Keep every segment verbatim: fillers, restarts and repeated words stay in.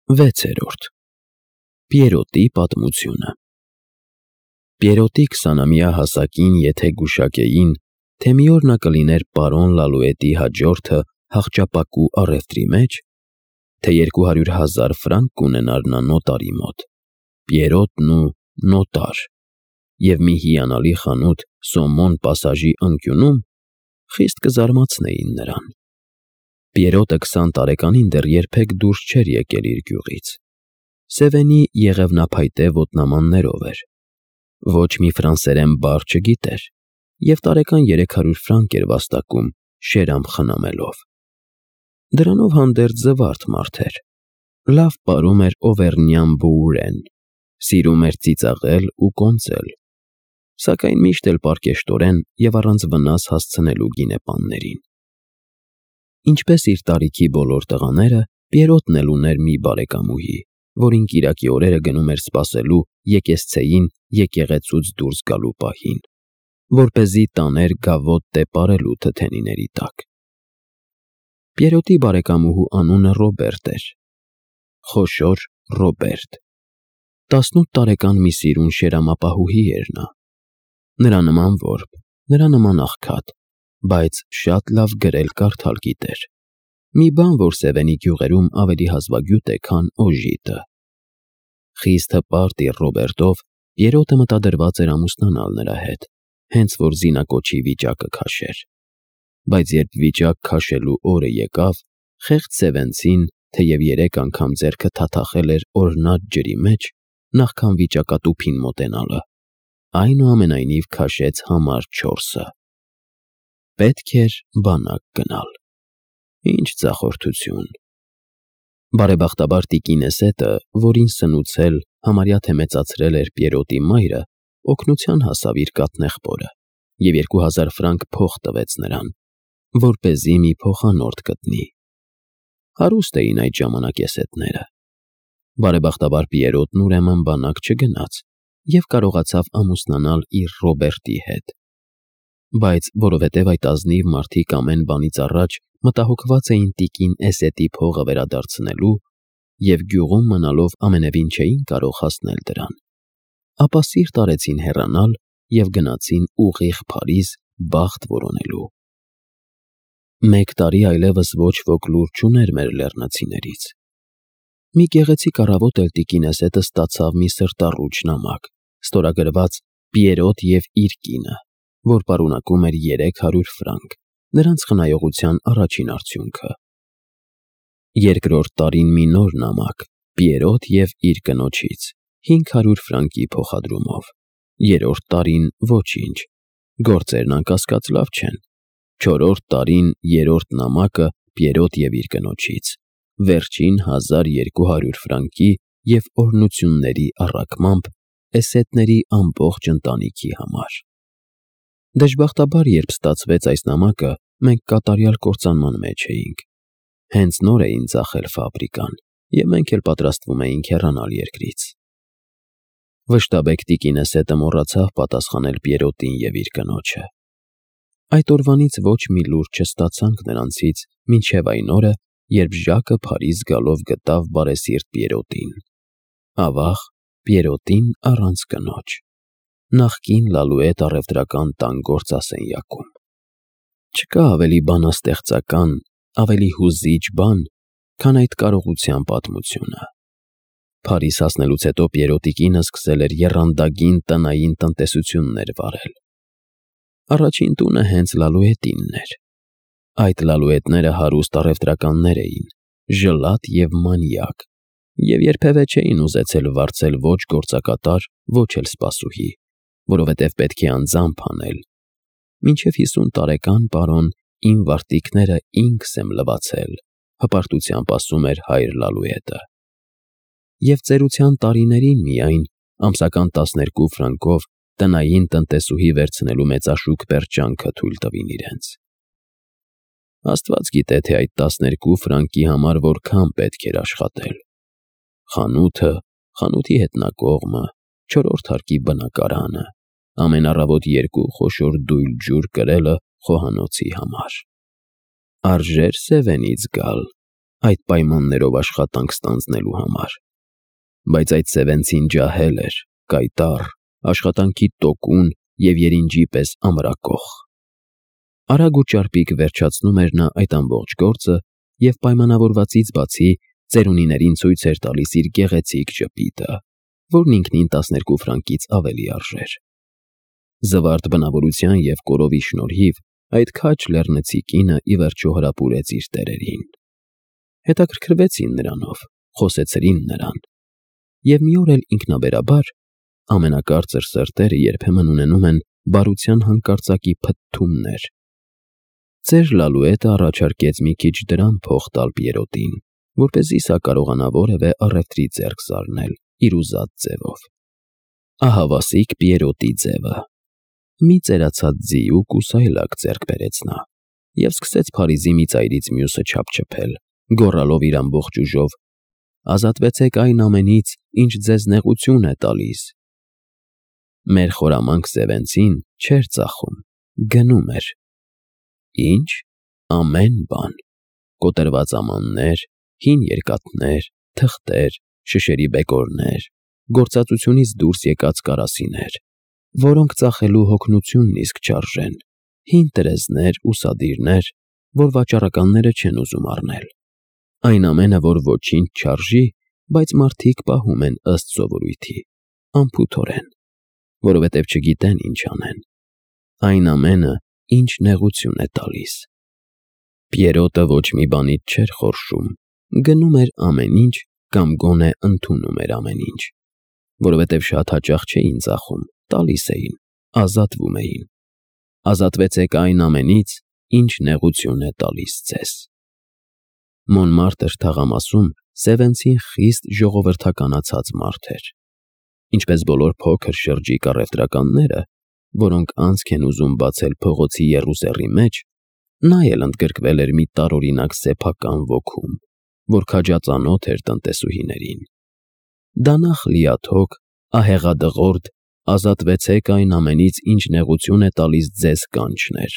Վեցերորդ Պիերոտի պատմությունը Պիերոտի քսանամյա հասակին եթե գուշակեին, թե մի օր նա կլիներ պարոն Լալուետի հաջորդը հախճապակու առևտրի մեջ, թե երկու հարյուր հազար ֆրանկ կունենար նա նոտարի մոտ, Պիերոտն ու նոտար, և մի հիանալի խանութ Սոմոն պասաժի անկյունում, խիստ կզարմացնեին նրան։ Պիերոտը քսան տարեկանին դեռ երբեք դուրս չէր եկել իր գյուղից։ Սևենի եղևնափայտե ոտնամաններով էր, ոչ մի ֆրանսերեն բառ չգիտեր և տարեկան երեք հարյուր ֆրանկ էր վաստակում շերամ խնամելով։ Դրանով հանդերձ զվարթ մարդ էր, լավ պարում էր օվերնյան բուուրեն, սիրում էր ծիծաղել ու կոնծել, սակայն միշտ էլ պարկեշտորեն և առանց վնաս հասցնելու գինեպաններին։ Ինչպես իր տարիքի բոլոր տղաները, Պիերոտն էլ ուներ մի բարեկամուհի, որին կիրակի օրերը գնում էր սպասելու եկեսցեին եկեղեցուց դուրս գալու պահին, որպեսզի տաներ գավոտ տեպարելու թթենիների տակ։ Պիերոտի բարեկամուհու անունը Ռոբերտ էր, խոշոր Ռոբերտ, տասնութ տարեկան մի սիրուն շերամապահուհի էր նա, նրա նման որբ, նրա նման աղքատ, բայց շատ լավ գրել֊կարդալ գիտեր, մի բան, որ Սևենի գյուղերում ավելի հազվագյուտ է, քան օժիտը։ Խիստ հպարտ իր Ռոբերտով Պիերոտը մտադրված էր ամուսնանալ նրա հետ, հենց որ զինակոչի վիճակը քաշեր, բայց երբ վիճակ քաշելու օրը եկավ, խեղճ սևենցին, թեև երեք անգամ ձեռքը թաթախել էր օրհնած ջրի մեջ, նախքան վիճակատուփին մոտենալը, այնուամենայնիվ քաշեց համար չորսը։ Պետք էր բանակ գնալ։ Ինչ ձախորդություն։ Բարեբախտաբար տիկինեսետը, որին սնուցել, համարյա թե մեծացրել էր Պիերոտի մայրը, օգնության հասավ իր կաթնեղբորը և երկու հազար ֆրանկ փող տվեց նրան, որպեսզի մի փոխանորդ գտնի։ Հարուստ էին այդ ժամանակեսետները։ Բարեբախտաբար Պիերոտն ուրեմն բանակ չգնաց և կարողացավ ամուսնանալ իր Ռոբերտի հետ, բայց որովհետև այդ ազնիվ մարդիկ ամեն բանից առաջ մտահոգված էին տիկին Էսետի փողը վերադարձնելու և գյուղում մնալով ամենևին չէին կարող հասնել դրան, ապա սիրտ արեցին հեռանալ և գնացին ուղիղ Փարիզ բախտ որոնելու։ Մեկ տարի այլևս ոչ ոք լուր չուներ մեր լեռնացիներից։ Մի գեղեցիկ առավոտ էլ տիկինեսետը ստացավ մի սրտառուչ նամակ, ստորագրված Պիերոտ և իր կինը, որ պարունակում էր երեք հարյուր ֆրանկ, նրանց խնայողության առաջին արդյունքը։ Երկրորդ տարին մի նոր նամակ Պիերոտ և իր կնոջից, հինգ հարյուր ֆրանկի փոխադրումով, երրորդ տարին ոչինչ, գործերն անկասկած լավ չեն, չորրորդ տարին երրորդ նամակը Պիերոտ և իր կնոջից, վերջին հազար երկու հարյուր ֆրանկի և օրհնությունների առակմամբ Էսետների ամբողջ ընտանիքի համար։ Դժբախտաբար, երբ ստացվեց այս նամակը, մենք կատարյալ կործանման մեջ էինք։ Հենց նոր էին ծախել ֆաբրիկան, և մենք էլ պատրաստվում էինք հեռանալ երկրից։ Վշտաբեկ տիկինեսետը մոռացավ պատասխանել Պիերոտին և իր կնոջը։ Այդ օրվանից ոչ մի լուր չստացանք նրանցից մինչև այն օրը, երբ Ժակը Փարիզ գալով գտավ բարեսիրտ Պիերոտին, ավաղ Պիերոտին առանց կնոջ, նախկին Լալուետ առևտրական տան գործասենյակում։ Չկա ավելի բանաստեղծական, ավելի հուզիչ բան, քան այդ կարողության պատմությունը։ Փարիզ հասնելուց հետո Պիերոտի կինը սկսել էր եռանդագին տնային տնտեսություններ վարել։ Առաջին տունը հենց Լալուետինն էր։ Այդ Լալուետները հարուստ առևտրականներ էին, ժլատ և մանյակ, և երբևէ չէին ուզեցել վարձել ոչ գործակատար, ոչ էլ սպասուհի, որովհետև պետք է անձամբ անել։ Մինչև հիսուն տարեկան, պարոն, իմ վարտիքները ինքս եմ լվացել, հպարտությամբ ասում էր հայր Լալուետը։ Եվ ծերության տարիներին միայն, ամսական տասներկու ֆրանկով տնային տնտեսուհի վերցնելու մեծաշուք պերճանքը թույլ տվին իրենց։ Աստված գիտե, թե այդ տասներկու ֆրանկի համար որքան պետք էր աշխատել։ Խանութը, խանութի հետնակողմը, չորրորդ հարկի բնակարանը, ամեն առավոտ երկու խոշոր դույլ ջուր կրելը խոհանոցի համար։ Արժե՞ր Սևենից գալ։ այդ պայմաններով աշխատանք ստանձնելու համար։ Բայց այդ սևենցին ջահել էր, կայտառ, աշխատանքի տոկուն և երինջի պես ամրակոխ։ Արագ ու ճարպիկ վերջացնում էր նա այդ ամբողջ գործը և պայմանավորվածից բացի ծերունիներին ցույց էր տալիս իր գեղեցիկ ժպիտը, որն ինքնին տասներկու ֆրանկից ավելի արժեր։ Զվարթ բնավորության և կորովի շնորհիվ այդ քաջ լեռնեցի կինը ի վերջո հրապուրեց իր տերերին։ Հետաքրքրվեցին նրանով, խոսեցրին նրան։ Եվ մի օր էլ ինքնաբերաբար ամենակարծր սրտերը երբեմն ունենում են բարության հանկարծակի փթթումներ։ Ծեր Լալուետը առաջարկեց մի քիչ դրամ փող տալ Պիերոտին, որպեսզի սա կարողանա որևէ առևտրի ձեռք զարնել իր ուզած ձևով։ Ահավասիկ Պիերոտի ձևը։ Մի ծերացած ձի ու կուսայլակ ձեռք բերեց նա և սկսեց Փարիզի մի ծայրից մյուսը չափչփել, գոռալով իր ամբողջ ուժով. «Ազատվեցեք այն ամենից, ինչ ձեզ նեղություն է տալիս»։ Մեր խորամանկ սևենցին չէր ծախում, գնում էր։ Ինչ։ Ամեն բան։ Կոտրված ամաններ, հին երկաթներ, թղթեր, շշերի բեկորներ, գործածությունից դուրս եկած կարասիներ, որոնք ծախելու հոգնությունն իսկ չարժեն, հին տրեզներ ու սադիրներ, որ վաճառականները չեն ուզում առնել։ Այն ամենը, որ ոչինչ չարժի, բայց մարդիկ պահում են ըստ սովորույթի, անփութորեն, որովհետև չգիտեն ինչ անեն։ Այն ամենը, ինչ նեղություն է տալիս։ Պիերոտը ոչ մի բանից չէր խորշում, գնում էր ամեն ինչ կամ գոնե ընդունում էր ամեն ինչ, որովհետև շատ հաճախ չէին ծախում, տալիս էին, ազատվում էին։ Ազատվեցեք այն ամենից, ինչ նեղություն է տալիս ձեզ։ Մոնմարտր թաղամասում սևենցին խիստ ժողովրդականացած մարդ էր։ Ինչպես բոլոր փոքր շրջիկ առևտրականները, որոնք անցք են ուզում բացել փողոցի եռուսեռի մեջ, նա էլ ընդգրկվել էր մի տարօրինակ սեփական ոգում, որ քաջածանոթ էր տնտեսուհիներին։ Դանախ լիաթոք, ահեղադղորդ, ազատվեցեք այն ամենից, ինչ նեղություն է տալիս ձեզ կանչն էր,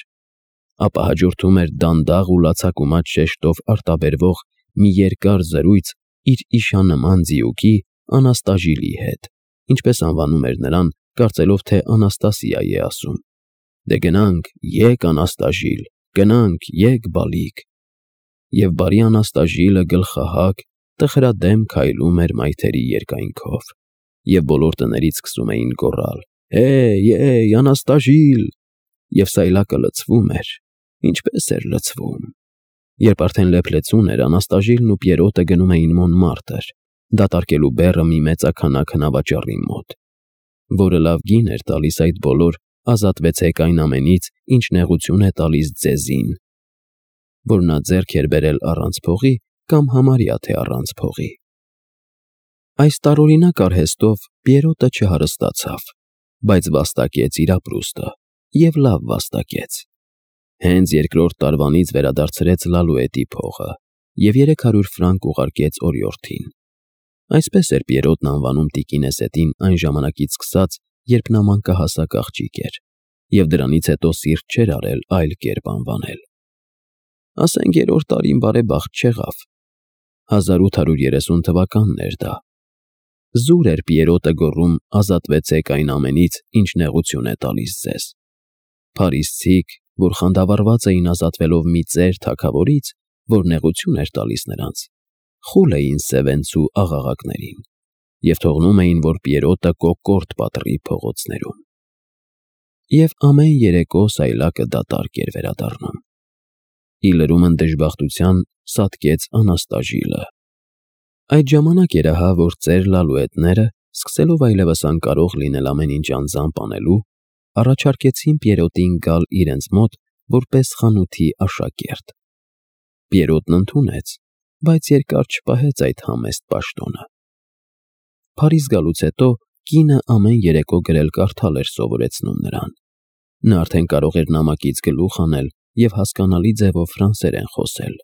ապա հաջորդում էր դանդաղ ու լացակումած շեշտով արտաբերվող մի երկար զրույց իր իշանման ձիուկի Անաստաժիլի հետ, ինչպես անվանում էր նրան, կարծելով, թե Անաստասիա է ասում։ Դե գնանք, եկ Անաստաժիլ, գնանք, եկ բալիկ։ Եվ բարի Անաստաժիլը գլխահակ, տխրադեմ քայլում էր մայթերի երկայնքով, և բոլոր տներից սկսում էին գոռալ. «Հեյ, հեյ, Անաստաժիլ»։ Եվ սայլակը լցվում էր, ինչպես էր լցվում։ Երբ արդեն լեփլեցուն էր, Անաստաժիլն ու Պիերոտը գնում էին Մոնմարտր, դատարկելու բեռը մի մեծաքանակ հնավաճառի մոտ, որը լավ գին էր տալիս այդ բոլոր «ազատվեցեք այն ամենից, ինչ նեղություն է տալիս ձեզին», որ նա ձեռք էր բերել առանց փողի կամ համարյա թե առանց փողի։ Այս տարօրինակ արհեստով Պիերոտը չհարստացավ, բայց վաստակեց իր ապրուստը և լավ վաստակեց։ Հենց երկրորդ տարվանից վերադարձրեց Լալուետի փողը և երեք հարյուր ֆրանկ ուղարկեց օրիորդին։ Այսպես էր Պիերոտն անվանում տիկինեսետին այն ժամանակից սկսած, երբ նա մանկահասակ աղջիկ էր, և դրանից հետո սիրտ չէր արել այլ կերպ անվանել։ Ասենք երրորդ տարին բարեբախտ չեղավ։ հազար ութ հարյուր երեսուն թվականն էր դա։ Զուր էր Պիերոտը գոռում ազատվեցեք այն ամենից, ինչ նեղություն է տալիս ձեզ։ Փարիզցիք, որ խանդավառված էին ազատվելով մի ծեր թագավորից, որ նեղություն էր տալիս նրանց, խուլ էին սևենցու աղաղակներին և թողնում էին, որ Պիերոտը կոկորդ պատռի փողոցներում։ Եվ ամեն երեկո սայլակը դատարկ էր վերադառնում։ Ի լրումն դժբախտության սատկեց Անաստաժիլը։ Այդ ժամանակ էր ահա, որ ծեր Լալուետները, սկսելով այլևս անկարող լինել ամեն ինչ անձամբ անելու, առաջարկեցին Պիերոտին գալ իրենց մոտ որպես խանութի աշակերտ։ Պիերոտն ընդունեց, բայց երկար չպահեց այդ համեստ պաշտոնը։ Փարիզ գալուց հետո կինը ամեն երեկո գրել-կարդալ էր սովորեցնում նրան։ Նա արդեն կարող էր նամակից գլուխ անել և հասկանալի ձևով ֆրանսերեն խոսել։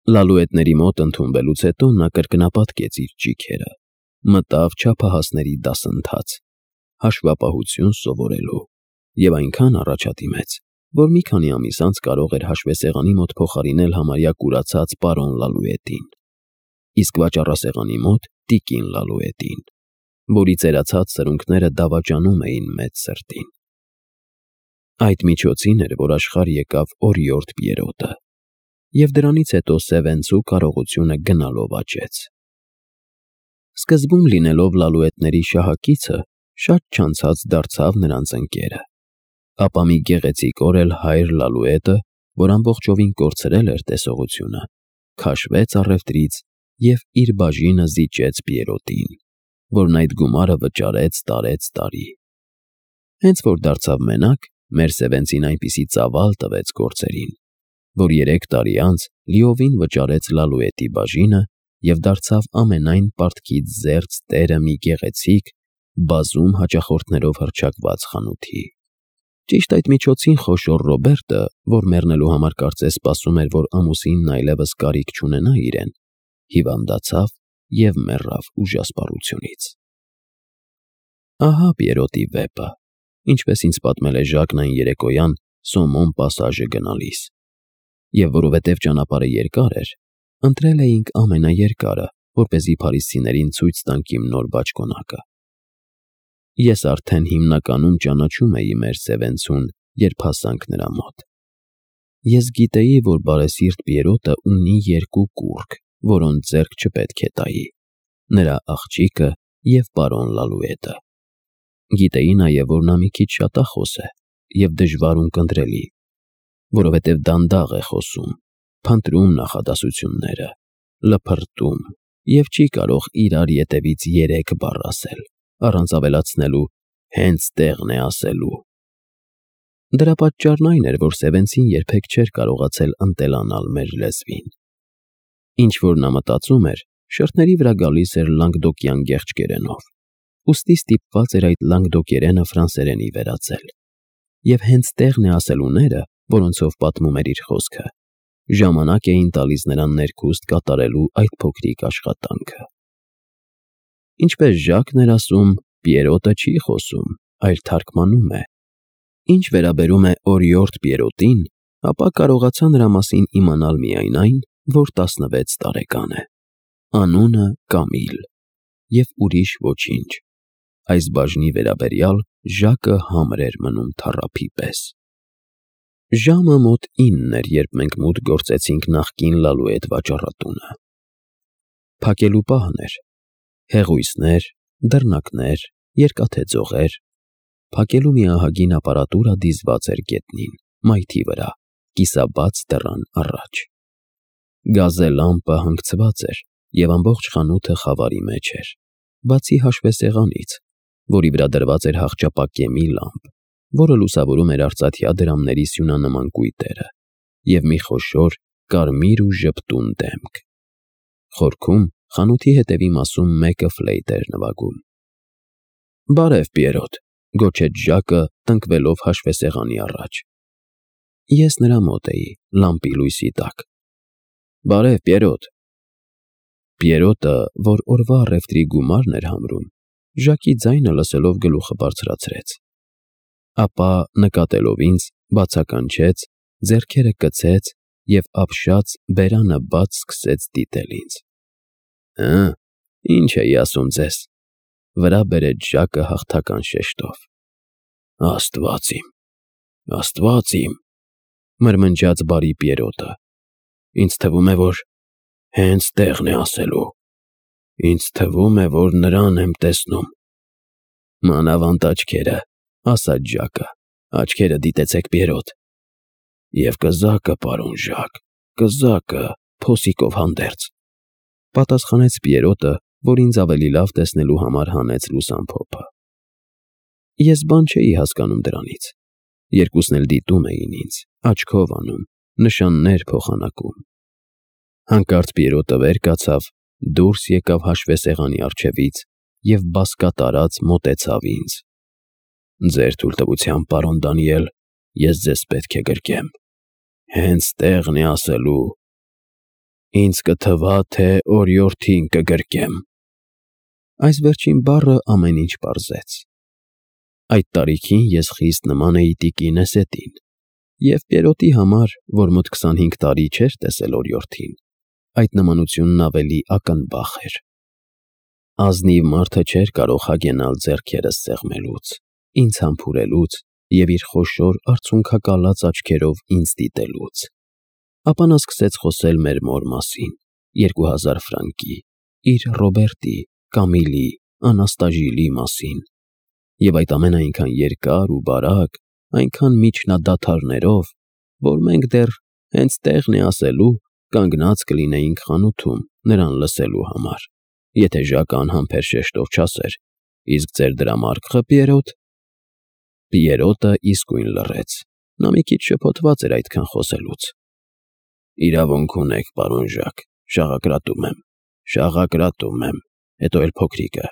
Լալուետների մոտ ընդունվելուց հետո նա կրկնապատկեց իր ճիգերը, մտավ չափահասների դասընթաց, հաշվապահություն սովորելու, և այնքան առաջադիմեց, որ մի քանի ամիս անց կարող էր հաշվեսեղանի մոտ փոխարինել համարյա կուրացած պարոն Լալուետին, իսկ վաճառասեղանի մոտ տիկին Լալուետին, որի ծերացած սրունքները դավաճանում էին մեծ սրտին։ Այդ միջոցին էր, որ աշխարհ եկավ օրիորդ Պիերոտը, և դրանից հետո Սևենցու կարողությունը գնալով աճեց։ Սկզբում լինելով Լալուետների շահակիցը, շատ չանցած դարձավ նրանց ընկերը, ապա մի գեղեցիկ օր էլ հայր Լալուետը, որ ամբողջովին կորցրել էր տեսողությունը, քաշվեց առևտրից և իր բաժինը զիջեց Պիերոտին, որն այդ գումարը վճարեց տարեց տարի։ Հենց որ դարձավ մենակ, մեր Սևենցին այնպիսի ծավալ տվեց գործերին, որ երեք տարի անց լիովին վճարեց Լալուետի բաժինը և դարձավ ամենայն պարտքից զերծ տերը մի գեղեցիկ, բազում հաճախորդներով հռչակված խանութի։ Ճիշտ այդ միջոցին խոշոր Ռոբերտը, որ մեռնելու համար կարծես սպասում էր, որ ամուսինն այլևս կարիք չունենա իրեն, հիվանդացավ և մեռավ ուժասպառությունից։ Ահա Պիերոտի վեպը, ինչպես ինձ պատմել է Ժակն այն երեկոյան Սոմոն պասաժը գնալիս, և որովհետև ճանապարհը երկար էր, ընտրել էինք ամենաերկարը, որպեսզի փարիսցիներին ցույց տանք իմ նոր բաճկոնակը։ Ես արդեն հիմնականում ճանաչում էի մեր Սևենցուն, երբ հասանք նրա մոտ։ Ես գիտեի, որ բարեսիրտ Պիերոտը ունի երկու կուռք, որոնց ձեռք չպետք է տայի՝ նրա աղջիկը և պարոն Լալուետը։ Գիտեի նաև, որ նա մի քիչ շատախոս է և դժվար ունկնդրելի, որովհետև դանդաղ է խոսում, փնտրում նախադասությունները, լփրտում և չի կարող իրար ետևից երեք բառ ասել, առանց ավելացնելու «հենց տեղն է ասելու»։ Դրա պատճառն այն էր, որ Սևենցին երբեք չէր կարողացել ընտելանալ մեր լեզվին։ Ինչ որ նա մտածում էր, շրթների վրա գալիս էր լանգդոկյան գեղչկերենով, ուստի ստիպված էր այդ լանգդոկերենը ֆրանսերենի վերածել, և «հենց տեղն է ասելուները», որոնցով պատմում էր իր խոսքը, ժամանակ էին տալիս նրան ներքուստ կատարելու այդ փոքրիկ աշխատանքը։ Ինչպես Ժակն էր ասում, Պիերոտը չի խոսում, այլ թարգմանում է։ Ինչ վերաբերում է օրիորդ Պիերոտին, ապա կարողացա նրա մասին իմանալ միայն այն, որ տասնվեց տարեկան է, անունը Կամիլ, և ուրիշ ոչինչ։ Այս բաժնի վերաբերյալ Ժակը համր էր մնում թառափի պես։ Ժամը մոտ ինն էր, երբ մենք մուտք գործեցինք նախկին Լալուետ վաճառատունը։ Փակելու պահն էր։ Հեղույսներ, դռնակներ, երկաթե ձողեր։ Փակելու մի ահագին ապարատուրա դիզված էր գետնին, մայթի վրա, կիսաբաց դռան առաջ։ Գազե լամպը հանգցված էր, և ամբողջ խանութը խավարի մեջ էր, բացի հաշվեսեղանից, որի վրա դրված էր հախճապակեմի լամպ, որը լուսավորում էր արծաթյա դրամների սյունանման կույտերը, և մի խոշոր կարմիր ու ժպտուն դեմք։ Խորքում, խանութի հետևի մասում մեկը ֆլեյտ էր նվագում։ «Բարև, Պիերոտ», գոչեց Ժակը, տնկվելով հաշվեսեղանի առաջ։ Ես նրա մոտ էի, լամպի լույսի տակ։ «Բարև, Պիերոտ»։ Պիերոտը, որ օրվա առևտրի գումարն էր համարում, Ժակի ձայնը լսելով գլուխը բարձրացրեց, ապա նկատելով ինձ, բացականչեց, ձեռքերը կցեց և ապշած բերանը բաց սկսեց դիտել ինձ։ «Հը, ինչ էի ասում ձեզ», վրա բերեց Ժակը հաղթական շեշտով։ «Աստված իմ, Աստված իմ», մրմնջաց բարի Պիերոտը, «ինձ թվում է, որ հենց տեղն է ասելու, ինձ թվում է, որ նրան եմ տեսնում»։ «Մանավանդ աչքերը», ասաց Ժակը, «աչքերը դիտեցեք, Պիերոտ»։ «Եվ կզակը, պարոն Ժակ, կզակը, փոսիկով հանդերձ», պատասխանեց Պիերոտը, որ ինձ ավելի լավ տեսնելու համար հանեց լուսամփոփը։ Ես բան չէի հասկանում դրանից։ Երկուսն էլ դիտում էին ինձ, աչքով անում, նշաններ փոխանակում։ Հանկարծ Պիերոտը վեր կացավ, դուրս եկավ հաշվեսեղանի առջևից և բազկատարած մոտեցավ ինձ։ «Ձեր թույլտվությամբ, պարոն Դանիել, ես ձեզ պետք է գրկեմ, հենց տեղն է ասելու, ինձ կթվա, թե օրիորդին կգրկեմ»։ Այս վերջին բառը ամեն ինչ պարզեց։ Այդ տարիքին ես խիստ նման էի տիկին Էսետին, Եվ Պիերոտի համար, որ մոտ քսանհինգ տարի չէր տեսել օրիորդին, այդ նմանությունն ավելի ակնբախ էր։ Ազնիվ մարդը չէր կարող հագենալ ձեռքերս սեղմելուց, ինձ համբուրելուց և իր խոշոր արցունքակալած աչքերով ինձ դիտելուց։ Ապա նա սկսեց խոսել մեր մոր մասին, երկու հազար ֆրանկի, իր Ռոբերտի, Կամիլի, Անաստաժիլի մասին, և այդ ամենը այնքան երկար ու բարակ, այնքան միջնադադարներով, որ մենք դեռ հենց տեղն է ասելու, կանգնած կլինեինք խանութում նրան լսելու համար, եթե Ժակը անհամբեր շեշտով չասեր. «Իսկ ձեր դրամարկղը, Պիերոտ»։ Պիերոտը իսկույն լռեց, նա մի քիչ շփոթված էր այդքան խոսելուց։ «Իրավունք ունեք, պարոն Ժակ, շաղակրատում եմ, շաղակրատում եմ, հետո էլ փոքրիկը,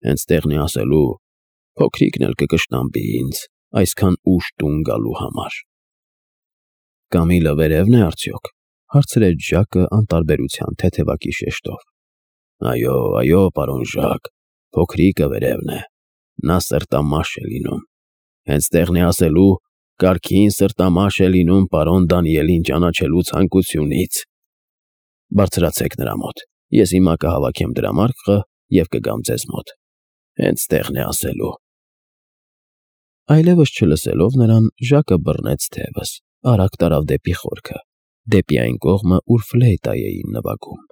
հենց տեղն է ասելու, փոքրիկն էլ կկշտամբի ինձ այսքան ուշ տուն գալու համար»։ «Կամիլը վերևն է արդյոք», հարցրեց Ժակը անտարբերության թեթևակի շեշտով։ «Այո, այո, պարոն Ժակ, փոքրիկը վերևն է, նա սրտամաշ է լինում, հենց տեղն է ասելու, կարգին սրտամաշ է լինում պարոն Դանիելին ճանաչելու ցանկությունից։ Բարձրացեք նրա մոտ, ես հիմա կհավաքեմ դրամարկղը և կգամ ձեզ մոտ, հենց տեղն է ասելու»։ Այլևս չլսելով նրան, Ժակը բռնեց թևս, արագ տարավ դեպի խորքը, դեպի այն կողմը, ուր ֆլեյտա էին նվագում։